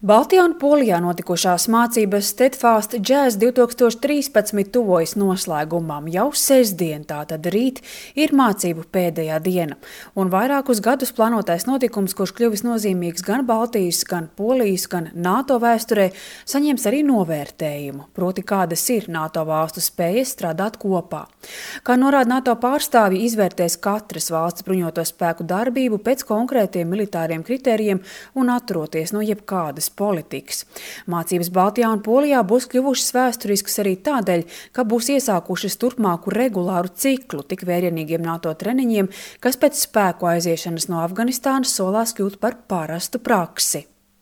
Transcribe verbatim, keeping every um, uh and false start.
Baltijā un Polijā notikušās mācības Steadfast Jazz divtūkstoš trīspadsmit tuvojas noslēgumam. Jau sestdien, tātad rīt, ir mācību pēdējā diena. Un vairākus gadus plānotais notikums, kurš kļuvis nozīmīgs gan Baltijas, gan Polijas, gan NATO vēsturē, saņems arī novērtējumu, proti kādas ir NATO valstu spējas strādāt kopā. Kā norāda NATO pārstāvji, izvērtēs katras valsts bruņoto spēku darbību pēc konkrētiem militāriem kritērijiem un atturoties no jebkādas politikas. Mācības Baltijā un Polijā būs kļuvušas vēsturiskas arī tādēļ, ka būs iesākušas turpmāku regulāru ciklu tik vērienīgiem NATO treniņiem, kas pēc spēku aiziešanas no Afganistānas solās kļūt par parastu praksi.